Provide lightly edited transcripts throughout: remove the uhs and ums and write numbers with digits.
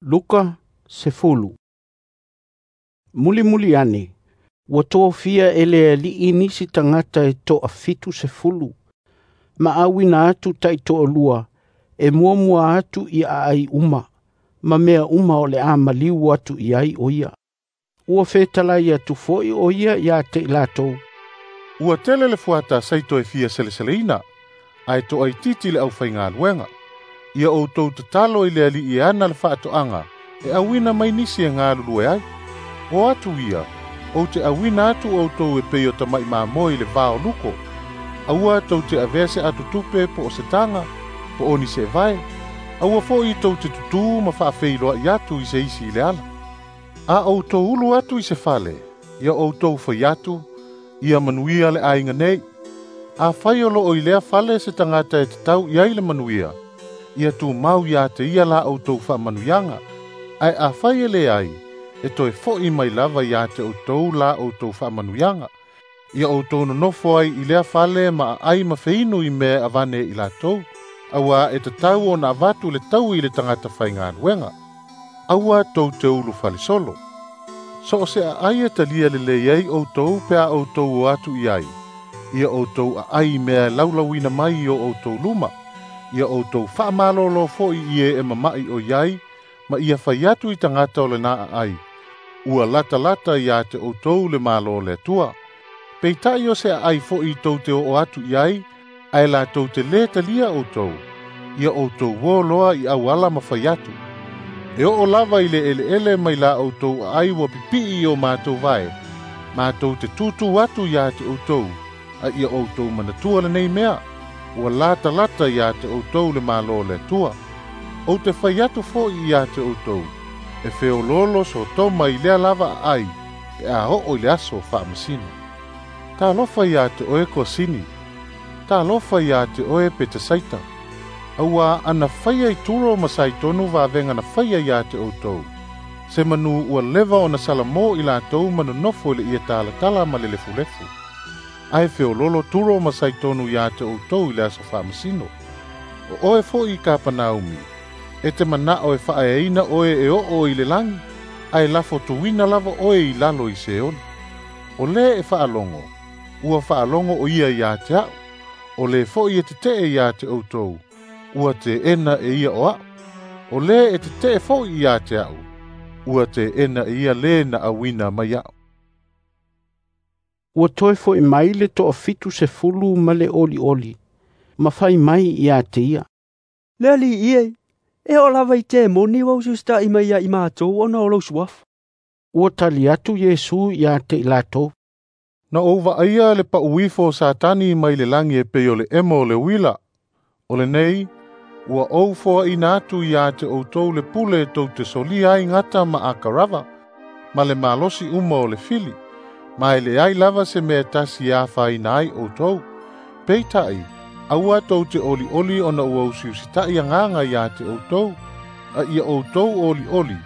Luka 10. Mulimuli ane, ua tofia e le Alii nisi tagata e 70, ma auina atu taitoalua e muamua atu i aai uma, ma mea uma o le a maliu atu i ai o ia. Ua fetalai atu foi o ia ia te i latou. Ua tele le fuata saito e fia seleseleina, ae toaitiiti le aufaigaluega. Ia outou tatalo i le Alii e ana le faatoaga, e auina mai nisi e galulue ai. O atu ia, ou te auina atu outou e pei o tamai mamoe i le va o luko. Aua tou te avea se atotupe po o se taga, po o ni seevae. Aua foi tou te tutū ma faafeiloai atu i se isi i le ala. A outou ulu atu i se fale, ia outou fai atu, ia manuia le aiga nei. Afai o loo i lea fale se tagata e tatau i ai le manuia, ia tumau ia te ia la outou faamanuiaga. Ae afai e leai, e toe foi mai lava ia te outou la outou faamanuiaga. Ia outou nonofo ai i lea fale ma aai ma feinu i mea e avane i latou, auā e tatau ona avatu le taui i le tagata faigaluega. Aua tou te ulu falesolo. So o se aai e talia lelei ai outou pe a outou o atu i ai, ia outou aai i mea e laulauina mai i o outou luma, ia outou faamalolo foi i e e mama'i o i ai, ma ia fai atu i tagata o lena aai, ua latalata ia te outou le Malo o le Atua. Peitai o se aai foi tou te oo atu i ai, ae latou te lē talia outou, ia outou uō loa i auala ma fai atu. E oo lava i le eleele mai la outou aai ua pipii i o matou vae, matou te tūtū atu ia te outou, a ia outou manatua lenei mea, ua latalata ia te outou le Malo o le Atua. Ou te fai atu foi ia te outou, e feoloolo Sotoma i lea lava aai, pe a oo i le aso faamasino. Talofa ia te oe Kosini, talofa ia te oe Petesaita, auā ana faia i Turo ma Saitonu vavega na faia ia te outou. Se manu ua leva ona salamo i latou ma nonofo i le ie talatala ma le lefulefu. Ae feoloolo Turo ma Saitonu ia te outou i le aso faamasino. O oe foi i Kapanaumi, e te manao e faaeaina oe e oo i le lagi, ae lafo tuuina lava oe i lalo i Seoli. O le e faalogo, ua faalogo o ia ia te au. O le foi e tetee ia te outou, ua teena e ia o au. O le e tetee foi ia te au, ua teena e ia le na auina mai au. Ua toe foi mai le 70 ma le olioli, ma fai mai ia te ia. Le Alii e, e oo lava i temoni ua usiusita'i mai ia i matou ona o lou suafa. Ua tali atu Iesu ia te i latou. Na ou vaaia le pauifo o Satani mai le lagi e pei o le emo o le uila. O lenei, ua ou foaina atu ia te outou le pule tou te solia ai gata ma akarava, ma le malosi uma o le fili, ma e leai lava se mea e tasi e afaina ai outou. Peitai, aua tou te olioli ona ua usiusita'i agaga ia te outou, a ia outou olioli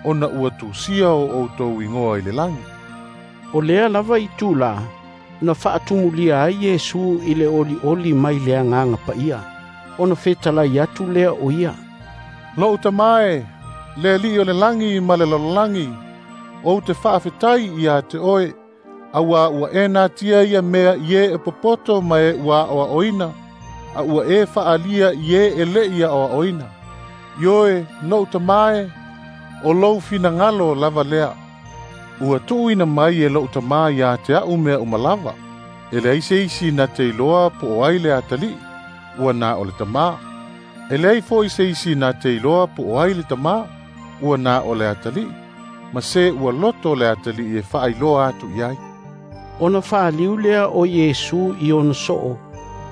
ona ua tusia o outou igoa i le lagi. O lea lava i tula, na faatumulia ai Iesu i le olioli mai le agaga paia, ona fetalai atu lea o ia. Lou Tama e, le Alii o le lagi ma le lalolagi, ou te faafetai ia te oe, auā ua e natia ia mea i e e popoto ma e ua aoaoina, a ua e faalia i e e le'i aoaoina. Ioe, lou Tama e, o lou finagalo lava lea. Ua tuuina mai e lou Tama ia te au mea uma lava. E leai se isi na te iloa po o ai le atalii, ua na o le Tama. E leai foi se isi na te iloa po o ai le Tama, ua na o le atalii, ma se ua loto le atalii e faailoa atu i ai. Ona faaliu lea o Iesu i ona soo,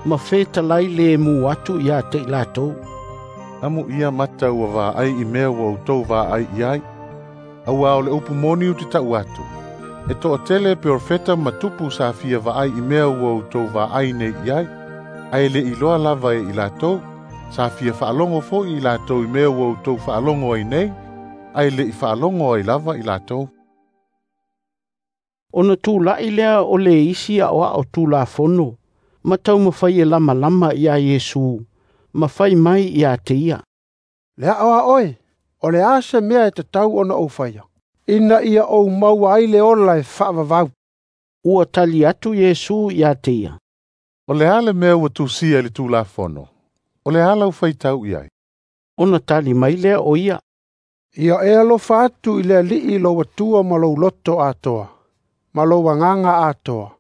ma fetalai le mu atu ia te i latou. Amu ia mata ua vaai i mea ua outou vaai i ai. Auā o le upu moni ou te tau atu, e toatele perofeta ma tupu sa fia vaai i mea ua outou vaai nei i ai, ae le iloa lava e i latou, sa fia faalogo foi i latou i mea ua outou faalogo ai nei, ae le i faalogo ai lava i latou. Ona tula'i lea o le isi aoao Tulafono, ma taumafai e lamalama ia Iesu, ma fai mai ia te ia. Le aoao e, O le a se mea e tatau ona ou faia, ina ia ou maua ai le ola e faavavau. Ua tali atu Iesu ia te ia. O le a le mea ua tusia i le Tulafono? O le a lau faitau i ai? Ona tali mai lea o ia. Ia e alofa atu i le Alii lou Atua ma lou loto atoa, ma lou agaga atoa,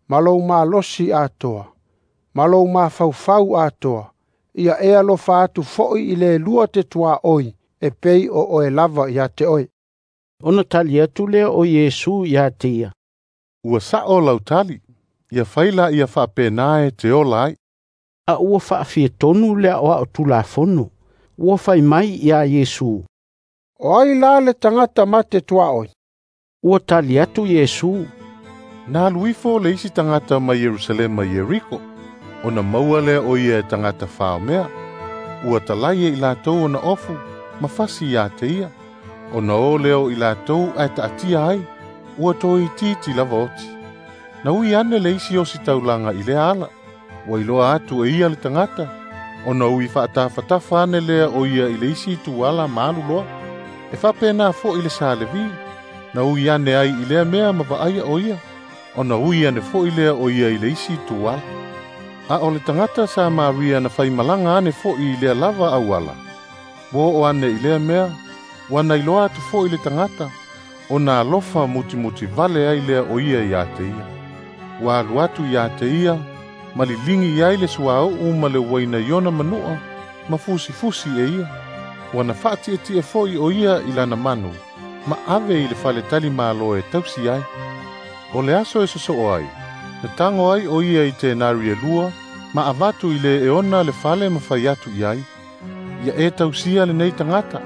ma lou malosi atoa, ma lou mafaufau atoa. Ia e alofa atu foi i le lua te tuaoi, e pei o oe lava ia te oe. Ona tali atu lea o Iesu ia te ia. Ua sao lau tali, ia fai la ia faapena e te ola ai. A ua faafietonu le aoao Tulafono, ua fai mai ia Iesu. O ai la le tagata ma te tuaoi? Ua tali atu Iesu. Na alu ifo le isi tagata mai Ierusalema i Ieriko, ona maua lea o ia e tagata faomea. Ua talai e i latou ona ofu, ma fasi ia te ia. Ona o lea o i latou ae taatia ai, ua toitiiti lava oti. Na ui ane le isi o si taulaga i lea ala, ua iloa atu e ia le tagata, ona ui faatafatafa ane lea o ia i le isi tuala ma alu loa. E faapena foi le sa Levi, na ui ane ai i lea mea ma vaaia o ia, ona ui ane foi lea o ia i le isi tuala. A o le tagata Samaria na faimalaga ane foi i lea lava auala, ua oo ane i lea mea, ua na iloa atu foi le tagata, ona alofa mutimuti vale ai lea o ia ia te ia. Ua alu atu ia te ia, ma liligi ai le suauu ma le uaina i ona manua, ma fusifusi e ia. Ua na faatietie foi o ia i lana manu, ma ave i le faletali malo e tausi ai. O le aso e sosoo ai, na tago ai o ia i tenari e lua, ma avatu i le e ona le fale ma fai atu i ai. Ia e tausia lenei tagata,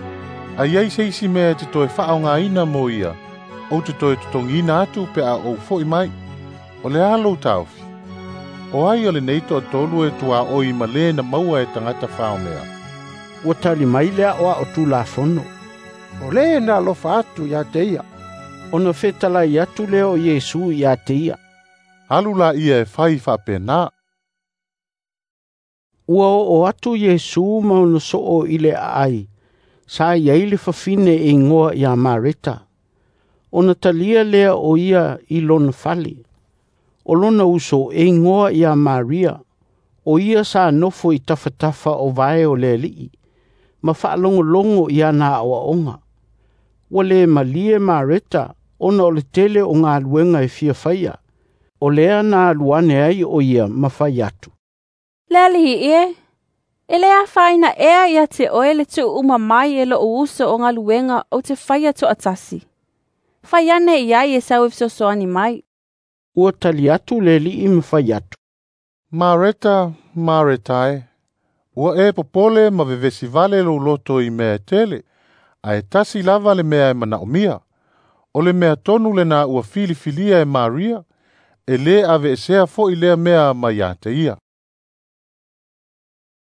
a iai se isi mea e te toe faaaogaina mo ia, ou te toe totogiina atu pe a ou foi mai. O le a lou taofi? O ai o lenei toatolu e tuaoi ma le na maua e tagata faomea? Ua tali mai le aoao Tulafono. O le na alofa atu ia te ia. Ona fetalai atu lea o Iesu ia te ia. Alu la ia e fai faapena. Ua oo atu Iesu ma ona soo i le aai, sa i ai le fafine e igoa ia Mareta. Ona talia lea o ia i lona fale. O lona uso e igoa ia Maria, o ia sa nofo i tafatafa o vae o le Alii, ma faalogologo i ana aoaoga. Ua le malie Mareta ona o le tele o galuega e fia faia. O lea na alu ane ai o ia ma fai atu. Le Alii e, e le afaina ea ia te oe le tuuuma mai e lou uso o galuega ou te faia toatasi. Fai ane i ai e sau e fesoasoani mai. Ua tali atu le Alii ma fai atu. Mareta, Mareta e, ua e popole ma vevesi vale lou loto i mea e tele, ae tasi lava le mea e manaomia. O le mea tonu lena ua filifilia e Maria, e lē aveesea foi lea mea mai ia te ia.